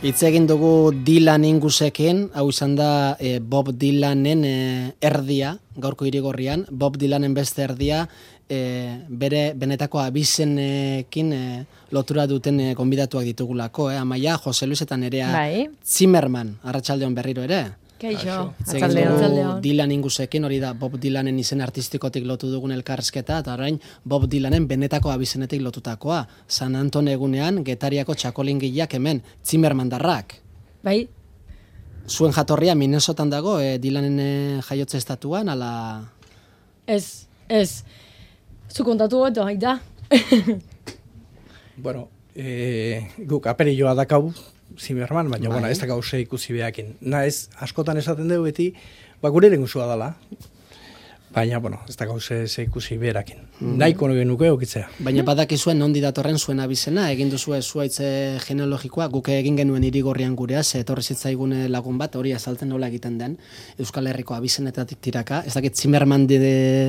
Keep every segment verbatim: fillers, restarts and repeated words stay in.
Hitz egin dugu Dylan Ingusekin, hau izan da e, Bob Dylanen e, erdia, gaurko irigorrian, Bob Dylanen beste erdia, e, bere benetako abizenekin e, lotura duten e, gonbidatuak ditugulako, eh? Amaia, Jose Luis eta Nerea bai. Zimmerman, arratsaldeon berriro ere. Kaixo, arratsaldeon. Dylan Ingusekin, hori da Bob Dylanen izen artistikotik lotu dugun elkarrizketa, eta orain Bob Dylanen benetako abizenetik lotutakoa. San Anton egunean, Getariako txakolingileak hemen, Zimmermandarrak. Bai. Zuen jatorria Minnesotan dago, e, Dylanen e, jaiotze estatuan, ala... Ez, ez. Zu kontatu gotu, haida. Bueno, e, guk aperilloa dakau, Zimmerman, baina bai. Bueno, ez da gauze ikusi behakin. Na ez, askotan esaten dugu beti, ba, gure lengusua dela, baina, bueno, ez da gauze ikusi beherakin. Mm. Nahiko nuke okitzea. Baina badakizuen nondi datorren zuen abizena, egin duzue zuaitze genealogikoa, guk egin genuen irigorrian gurea, ze etorri zitzaigun lagun bat, hori azaltzen nola egiten den, Euskal Herriko abizenetatik tiraka, ez dakit Zimmerman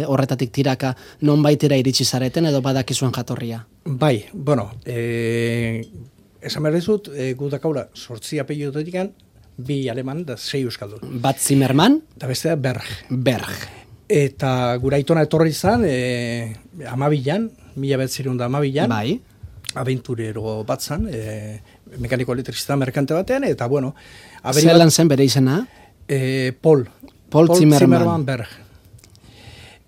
horretatik tiraka non baitera iritsi zareten, edo badakizuen jatorria? Bai, bueno, e, esan behar dizut, e, gu dakaula sortzi apellidotetik bi aleman da sei euskaldun. Bat Zimmerman? Eta bestea Berg. Berg. Eta gura aitona etorri izan, e, amabilan, mila betzirun da amabilan, bai. Aventurero bat zan, e, mekaniko elektrizista merkante batean, eta bueno... Zelan zen bere izena? E, Paul. Paul, Paul Zimmerman. Zimmerman Berg.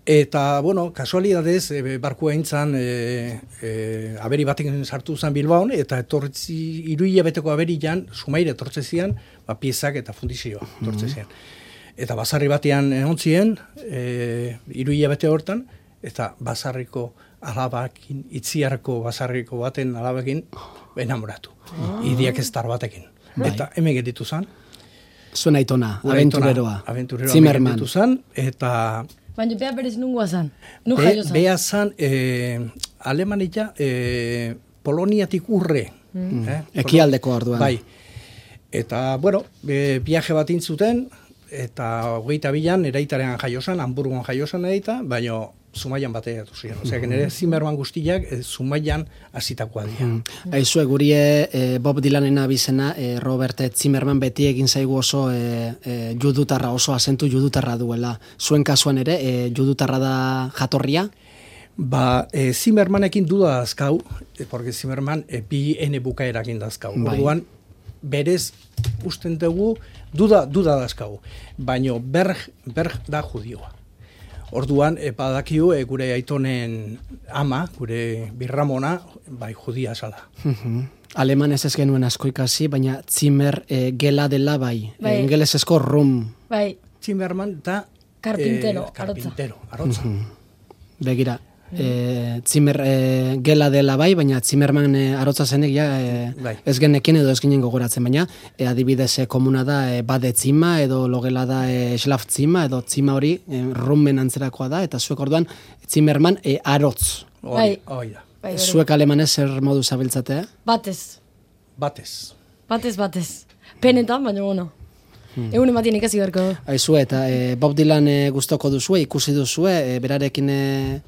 Eta, bueno, kasualidadez, e, barkua intzan, e, e, aberi batekin sartu zen Bilbaon, eta etortzi, iruia beteko aberian, sumaire etortzezian, ba, piezak eta fundizioa etortzezian. Mm-hmm. Eta basarri batean ontzien, e, iruia bete hortan, eta basarriko alabakin, itziarko basarriko baten alabakin, enamoratu. Oh. Idiak estar batekin. Bai. Eta hemen geditu zen. Zuen aitona, aventureroa. Aventureroa Zimmerman. Geditu zen, eta... Baina beha berez nungoa zan? Nu Be, jaio zan? Beha zan, e, Alemania, e, Poloniatik urre. Mm. Eh? Ekialdeko orduan. Bai. Eta, bueno, e, viaje bat intzuten, eta hogeita bilan eraitaren jaiosan, Hamburgon jaiosan eraita, baina Zumaian batea etu ziren. Osea, nire Zimmerman guztiak e, Zumaian hasitakoa dira. Mm. Aizue, gurie e, Bob Dylanen abizena, e, Robert Zimmerman beti egin zaigu oso e, e, judutarra, oso azentu judutarra duela. Zuen kasuan ere, e, judutarra da jatorria? Ba, e, Zimmermanekin duda dazkau, e, porque Zimmerman e, bi ene bukaerakin dazkau. Bai. Orduan, berez, usten dugu, duda, duda dazkau. Baina Berg, Berg da judioa. Orduan, e, badakiu, e, gure aitonen ama, gure birramona, bai, judia zala. Uh-huh. Alemanez ez genuen asko ikasi, baina Zimmer e, gela dela bai. bai. Engelesezko rum. Bai. Zimmerman da... Karpintero, e, karpintero, arotza. Uh-huh. Begira. E, Zimmer e, gela dela bai, baina Zimmerman e, arotza zenek ja, e, bai. Ez genekin edo ez ginen gogoratzen, baina e, adibidez e, komuna da e, bade tzima edo logela da e, schlaf tzima edo tzima hori e, rummen antzerakoa da, eta zuek orduan Zimmerman e, arotz. Bai. Hoi da. Bai, zuek alemanez zer modu zabiltzate? Batez. Batez. Batez, batez. Penetan, baina bueno. Hmm. Egun ematien ikasi berko. Aizu, eta e, Bob Dylan e, gustoko duzue, ikusi duzue, e, berarekin e,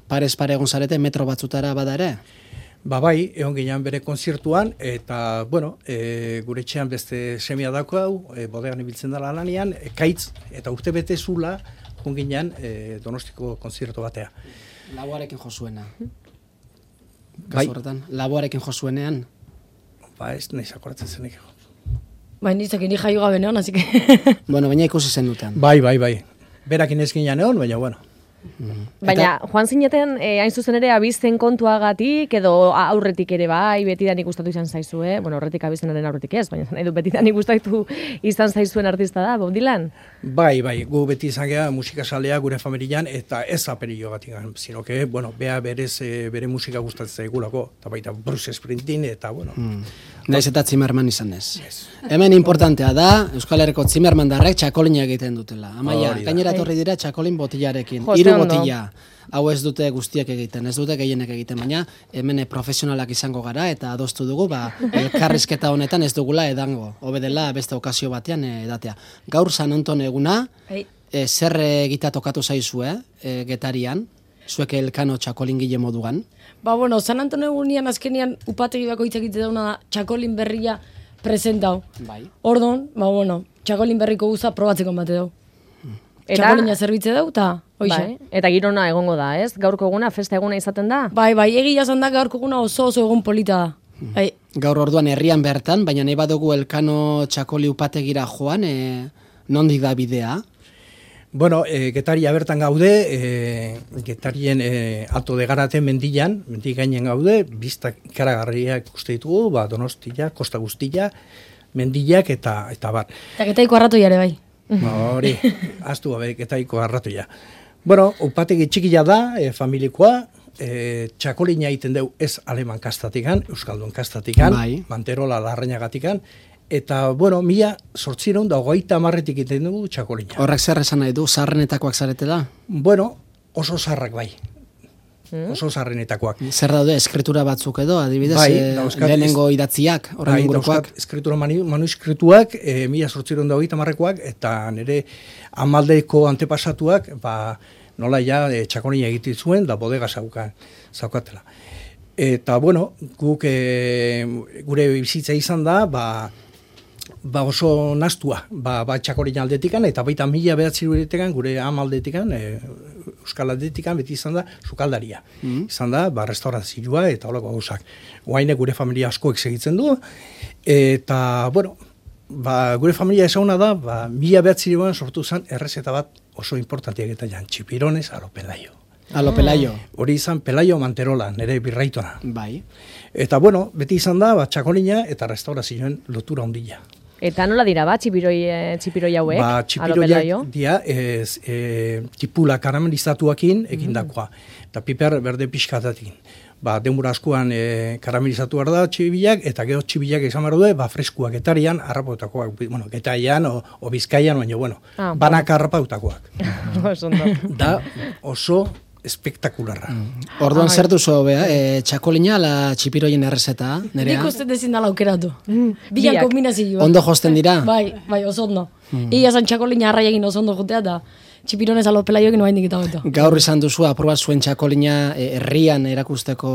parez pare egon zarete, metro batzutara bada ere? Ba bai, egon ginean bere konzertuan, eta, bueno, e, gure etxean beste semia dako hau, e, bodegan ibiltzen dela lanian, e, kaitz, eta urte bete zula, egon ginean e, Donostiko konzertu batea. Laboarekin jozuena. Bai. Horretan, laboarekin jozuenean? Ba ez, nahiz akoratzen zenik. Bai, nizak ni jaio gabe neon, así que... Bueno, baina ikusi zen duten. Bai, bai, bai. Berakin ez ginean egon, baina, bueno. Mm. Baina, joan zineten, eh, hain zuzen ere, abizten kontuagatik, edo aurretik ere bai, betidanik gustatu izan zaizu, eh? Bueno, horretik abiztenaren aurretik ez, baina edo betidanik gustatu izan zaizuen artista da, Bob Dylan? Bai, bai, gu beti izan geha musikasalea gure familian, eta ez aperillo batik, sino que, bueno, bea berez, e, bere musika gustatzen zaigulako, eta baita Bruce Springsteen, eta, bueno... Mm. Naiz eta Zimmerman izan ez. Yes. Hemen importantea da, Euskal Herriko Zimmerman darrek txakolina egiten dutela. Amaia, gainera etorri dira txakolin botillarekin. Hiru botilla. Hau ez dute guztiak egiten, ez dute gehienek egiten, baina hemen profesionalak izango gara eta adostu dugu, ba, elkarrizketa honetan ez dugula edango. Hobe dela beste okazio batean edatea. Gaur San Anton eguna, e, zer egita tokatu zaizu, eh? E, Getarian, zuek elkano txakolingile moduan. Ba, bueno, San Anton egunian azkenian upategi bako hitz egite dauna txakolin berria presentau. Bai. Ordon, ba, bueno, txakolin berriko guza probatzeko bate dau. Txakolina zerbitze dau, eta hoxe. Bai, eta girona egongo da, ez? Gaurko eguna, festa eguna izaten da? Bai, bai, egia zan da gaurko eguna oso oso egun polita da. Bai. Gaur orduan herrian bertan, baina nahi badugu Elkano txakoli upategira joan, e, nondik da bidea? Bueno, e, Getaria bertan gaude, e, Getarien e, Alto de Garate mendian, mendi gainen gaude, biztak ikaragarriak ikuste ditugu, ba, Donostia, Kosta Guztia, mendiak eta eta bar. Eta getaiko arratoiare bai. Ba, hori, aztu gabe, Getaiko arratoia. Bueno, upategi txikia da, e, familikoa, e, txakolina egiten deu ez aleman kastatikan, euskaldun kastatikan, bai. Manterola larrainagatikan, eta, bueno, mila sortzireun da hogeita hamarretik egiten dugu txakolina. Horrek zer esan nahi du, zaharrenetakoak zarete da? Bueno, oso zarrak bai. Oso zarrenetakoak. Zer daude, eskritura batzuk edo, adibidez, Bai, e, dauzkat lehenengo idatziak, horren Bai, ingurukoak. dauzkat eskritura manu, manuskrituak, e, mila sortzireun da hogeita hamarrekoak, eta nire amaldeko antepasatuak, ba, nola ja, e, txakolina egiten zuen, da bodega zaukan, zaukatela. Eta, bueno, guk e, gure bizitza izan da, ba, ba oso nastua, ba, ba txakolina aldetikan, eta baita mila behatziruetekan, gure amaldetikan, e, euskal aldetikan, beti izan da, sukaldaria. Mm. Izan da, ba, restaurazioa eta holako gauzak. Oaine gure familia askoek segitzen du, eta, bueno, ba, gure familia ezaguna da, ba, mila behatziruan sortu zen errezeta bat oso importantiak eta jan, txipirones alo pelaio. Alo pelaio. Hori izan Pelaio Manterola, nire birraitona. Bai. Eta, bueno, beti izan da, ba, txakolina eta restaurazioen lotura ondila. Eta nola dira, ba, txipiroi, eh, txipiroi hauek? Ba, Alo txipiroiak pelaio? dia, ez, e, tipula karamelizatuakin egindakoa, eta piper berde pixkatatik. Ba, denbora askoan e, karamelizatu behar da txibilak, eta gero txibilak izan behar du, ba, freskuak getarian, harrapautakoak, bueno, getaian o, o bizkaian, baina, bueno, Ah, banak harrapautakoak. Oso ondo. Da, oso espektakularra. Orduan zer duzu hobea, e, txakolina ala txipiroien errezeta, nerea? Nik uste dezin dala aukeratu. biak. Bian kombinazioa. Ondo josten dira? Bai, bai, oso ondo. Ia zan txakolina arrai egin oso ondo jotea, eta txipironez alo pelaio egin oaindik eta beto. Gaur izan duzu aprobat zuen txakolina e, herrian erakusteko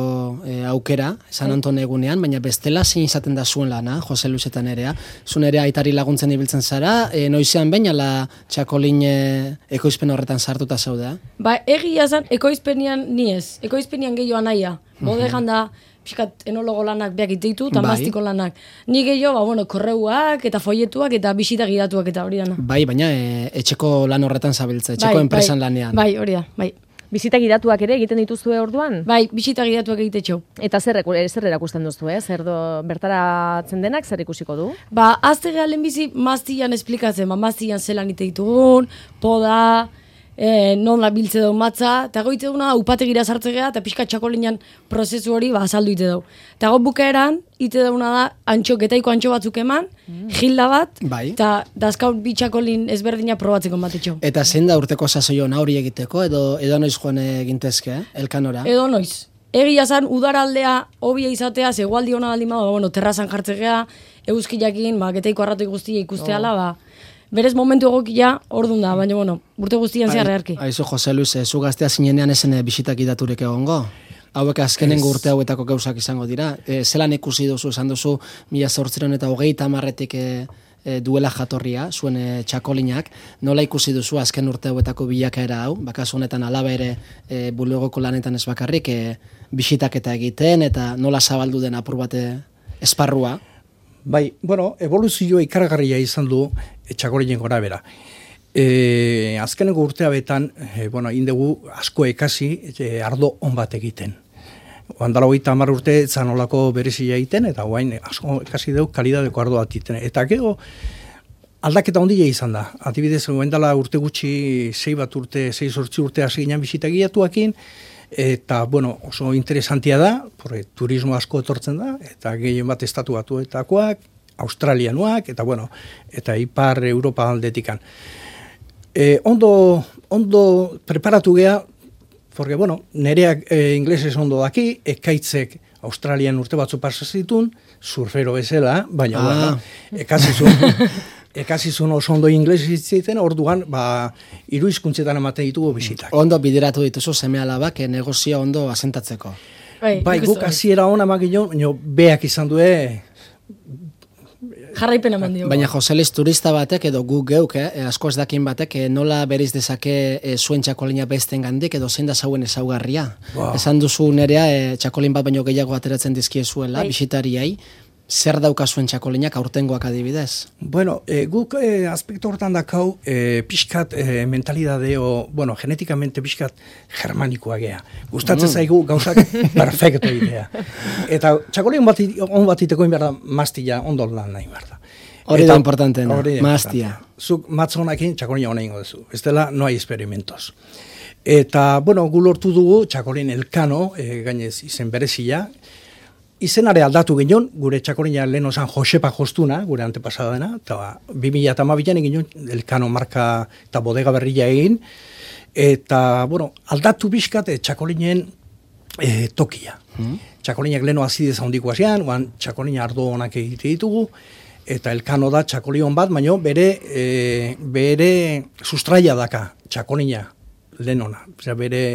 e, aukera, San Antone egunean, baina bestela zein izaten da zuen lana, Jose Luis eta nerea. Zu nerea aitari laguntzen ibiltzen zara, e, noizean baina la txakolin e, ekoizpen horretan sartuta zaudea? Ba, egia zan, ekoizpenian ni ez. Ekoizpenian gehiago anaia. Bodegan da, pixkat enologo lanak beak iteitu, eta Bai. mastiko lanak. Ni gehiago, ba, bueno, korreuak eta folletuak eta bisita gidatuak eta hori dana. Bai, baina e, etxeko lan horretan zabiltza, etxeko Bai, enpresan bai, lanean. Bai, hori da, bai. Bizita gidatuak ere egiten dituzue orduan? Bai, bisita gidatuak egite txau. Eta zer, zer erakusten duzu, eh? Zer do, bertaratzen denak zer ikusiko du? Ba, azte gehalen bizi maztian esplikatzen, ba, maztian zelan ite ditugun, poda, e, non la biltze dau matza, eta goite duna upategira sartze geha, eta pixka txakolinan prozesu hori ba, azaldu ite dau. Eta go bukaeran, ite dauna da, antxo, getaiko antxo batzuk eman, gilda bat, Bai. eta dazkaun bi txakolin ezberdina probatzeko batetxo. Eta zein da urteko sasoion hori egiteko, edo edo noiz joan egintezke, eh? Elkanora? Edo noiz. Egia zan, udaraldea, hobia izatea, zegoaldi hona baldin bada, bueno, terrazan jartzegea, euskilakin, ba, getaiko arratoi guztia ikusteala, ba, berez momentu egokia, ordun da, baina, bueno, urte guztian zehar eharki. Aizu, Jose Luis, eh, zu gaztea zinenean esen eh, bisitak idaturik egongo? Hauek azkenengo urte hauetako gauzak izango dira. E, zelan ikusi duzu, esan duzu, mila zortziron eta hogeita hamarretik e, e, duela jatorria, zuen e, txakolinak, nola ikusi duzu azken urte hauetako bilakaera hau, bakazu honetan alaba ere e, bulegoko lanetan ez bakarrik, e, bisitak eta egiten, eta nola zabaldu den apur bate esparrua? Bai, bueno, evoluzioa ikaragarria izan du e, txakolinen gora bera. E, azkeneko urtea betan, e, bueno, indegu asko ekasi e, ardo on bat egiten. Oandala hogeita hamar urte zanolako berezia egiten, eta guain asko ekasi dugu kalidadeko ardo bat egiten. Eta gero, aldaketa ondila izan da. Adibidez, oandala urte gutxi, sei bat urte, sei sortzi urte hasi ginen bisita giatuakin, eta, bueno, oso interesantia da, porque turismo asko etortzen da, eta gehien bat estatu batuetakoak, australianuak, eta, bueno, eta ipar Europa aldetikan. E, ondo, ondo preparatu geha, porque, bueno, nereak e, inglesez ondo daki, ekaitzek Australian urte batzu pasa zitun, surfero bezala, baina, Ah. bueno, ekasizun, ekasizun oso ondo inglesez zitzen, orduan, ba, hiru hizkuntzetan ematen ditugu bisitak. Ondo bideratu dituzu seme alabak e, negozioa ondo asentatzeko. Bai, nik uste guk hasiera ona magino, baina beak izan due jarraipen eman dio. Baina Joselis turista batek edo gu geuk, eh, asko ez dakin batek, eh, nola beriz dezake eh, zuen txakolina besten gandik edo zein da zauen ezaugarria. Wow. Esan duzu nerea eh, txakolin bat baino gehiago ateratzen dizkiezuela, bai. Bisitariai. Zer daukazuen txakolinak aurtengoak adibidez? Bueno, e, guk e, aspektu hortan dakau e, pixkat e, mentalidadeo, bueno, genetikamente pixkat germanikoa gea. Gustatzen mm. zaigu gauzak perfecto idea. Eta txakolin bat, on bat iteko inberda mastilla ondo lan nahi berda. Hori da importantena, mastia. Zuk matzonakin txakolina hona ingo duzu. Ez dela, no hai experimentos. Eta, bueno, gu lortu dugu txakolin elkano, e, gainez izen berezia, izenare aldatu ginen, gure txakolina lehen osan Josepa Jostuna, gure antepasada dena, eta bi mila hamabian egin elkano marka eta bodega berria egin, eta, bueno, aldatu bizkat txakolinen e, tokia. Hmm. Txakolinak lehen azidez handiko hasian, oan txakolina ardo honak egite ditugu, eta elkano da txakolion bat, baina bere, e, bere sustraia daka txakolina lehen ona, bere,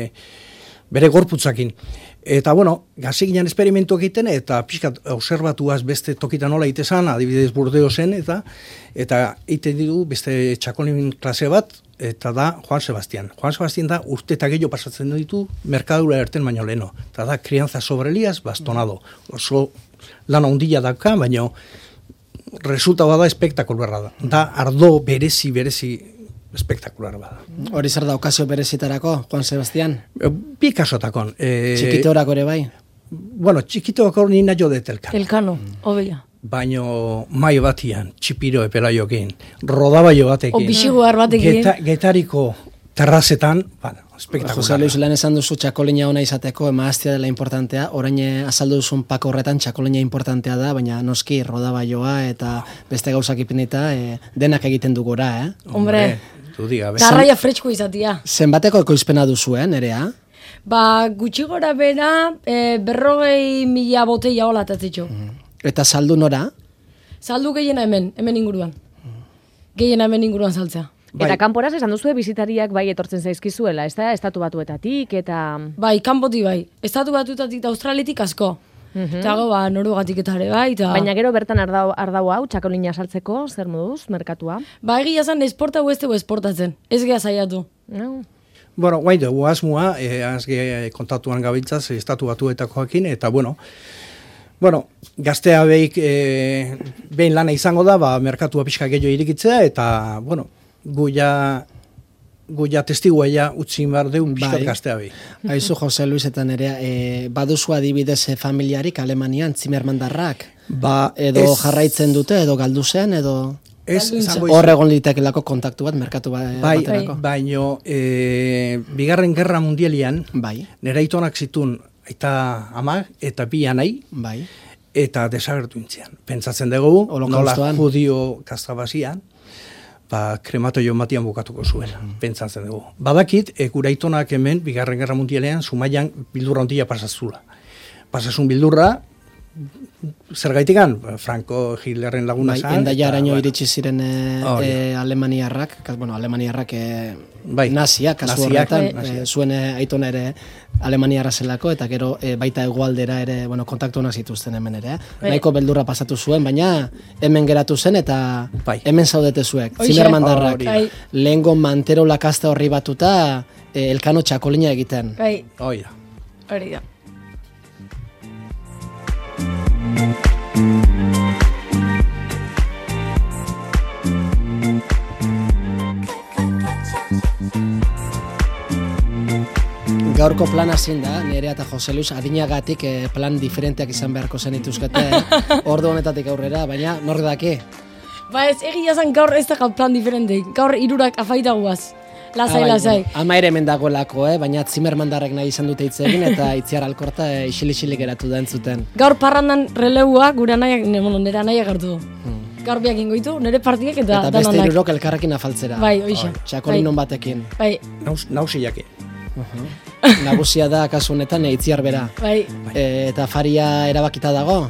bere gorputzakin. Eta, bueno, gazi ginen esperimentu egiten, eta pixkat observatuaz beste tokitan nola itezan, adibidez Burdeo zen, eta eta egiten ditu beste txakolin klase bat, eta da Juan Sebastián. Juan Sebastián da urte eta gehiago pasatzen ditu merkadura erten baino leno. Eta da crianza sobre Elías bastonado. Oso lan ondila daka, baina resulta da espektakularra da. Da ardo berezi, berezi, espektakular bada. Hori zer da okazio berezitarako, Juan Sebastián? Bi kasotakon. E, Txikiteorako ere bai? Bueno, txikiteorako nina jo det elkano. Elkano, obeia. Baino mai batian, txipiro epelaiokin, rodabaio batekin. O bixiguar batekin. Geta, getariko terrazetan, bueno, espektakular. Jose Luis, lehen esan duzu txakolina ona izateko, emaztia dela importantea, orain azaldu duzun pako horretan txakolina importantea da, baina noski rodabaioa eta beste gauzak ipinita e, denak egiten dugora, eh? Hombre, tarraia fretxko izatia. Zenbateko ekoizpena duzu, eh, nerea? Ba, gutxi gora bera, e, berrogei mila boteia hola atatzitxo. Mm. Eta saldu nora? Saldu gehiena hemen, hemen inguruan. Gehiena hemen inguruan saltzea. Bai. Eta kanporaz esan duzu bizitariak bai etortzen zaizkizuela, ez da? Estatu batuetatik eta... Bai, kanpoti bai. Estatu batuetatik eta Australitik asko. Mm-hmm. Eta go, ba, Norugatik eta ere bai. Ta... Baina gero bertan ardau, ardau hau, txakolina saltzeko, zer moduz, merkatua? Ba, egia zan, esporta gu ez dugu esportatzen. Ez geha zaiatu. No. Bueno, guai dugu asmoa, eh, azge kontatuan gabiltzaz, estatu batuetakoakin, eta bueno, bueno, gaztea behik eh, behin lana izango da, ba, merkatua pixka gehiago irikitzea, eta, bueno, guia, guia testigua ja utzi behar deun pixkat bai. Gaztea behi. Aizu, Jose Luis eta nerea, e, baduzu adibidez familiarik Alemanian, Zimmermandarrak? Ba, edo ez... jarraitzen dute, edo galdu zen, edo... Ez, hor egon litekelako kontaktu bat, merkatu bat, bai, baterako. Baino, e, bigarren gerra mundialian, bai. Nera itonak zitun, aita amak, eta bi anai, bai. Eta desagertu intzian. Pentsatzen dugu, nola judio kastabazian, ba, krematoio matian bukatuko zuen, mm. Pentsatzen dugu. Badakit, e, gura itonak hemen, bigarren gerra mundialean, Zumaian bildurra ontila pasazula. Pasazun bildurra, zer gaitikan, Franco Hitlerren laguna bai, zan. Endaia araño bueno. Iritsi ziren e, oh, e, Alemaniarrak, bueno, Alemaniarrak e, bai, naziak, kasu horretan, e, zuen aitona ere Alemaniarra zelako, eta gero e, baita hegoaldera ere, bueno, kontaktu honak zituzten hemen ere. Bai. Nahiko beldurra pasatu zuen, baina hemen geratu zen, eta bai. Hemen zaudete zuek. Zimmermandarrak, oh, lehengo mantero lakasta horri batuta, e, elkano txakolina egiten. Bai, hori da. Hori da. Gaurko plana zein da, Nerea eta Jose Luis adinagatik eh, plan diferenteak izan beharko zen ituzkete, ordu honetatik aurrera, baina nork daki? Ba ez, egia zan gaur ez da plan diferenteik, gaur irurak afaita guaz. Lasai, ah, lasai. Bueno, ama ere hemen dagoelako, eh? Baina Zimmermandarrek nahi izan dute hitz egin eta Itziar Alkorta e, isil-isilik geratu da entzuten. Gaur parrandan releua gure anaiak, nire anaiak hartu du. Hmm. Gaur biak ingoitu, nire partiak eta dananak. Eta beste irurok elkarrekin afaltzera. Bai, oixa. Txakolinon bai. Batekin. Bai. Naus, nausiake. Uh-huh. Nagusia da kasu honetan Itziar bera. Bai. E, eta faria erabakita dago?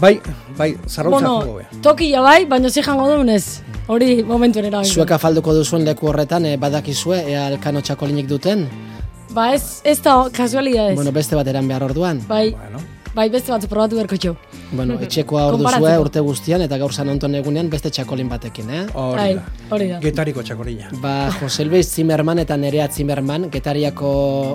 Bai, bai, zarrautza bueno, jugo beha. Tokia bai, baina zi jango duenez. Hori momentu nera. Zuek afalduko duzuen leku horretan, e, badakizue, ea elkano txakolinik duten? Ba ez, ez da kasualidades. Bueno, beste bat eran behar orduan. Bai. Bueno. Bai, beste batzu probatu berko txau. Bueno, etxekoa hor duzue urte guztian, eta gaur San Anton egunean beste txakolin batekin, eh? Hori da. Hori da. Getariko txakolina. Ba, Jose Luis Zimmerman eta Nerea Zimmerman, Getariako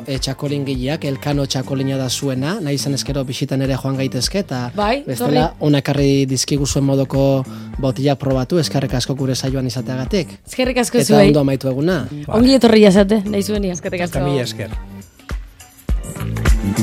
e, txakolin gileak, Elkano txakolina da zuena, nahi izan eskero bisitan ere joan gaitezke, eta bai, bestela onakarri dizkigu zuen modoko botila probatu, eskerrik asko gure saioan izateagatik. Eskerrik asko zuei. zuei. Eta ondo amaitu eguna. Ongi etorri jazate, nahi zuenia. Eskerrik asko. Eta mila esker.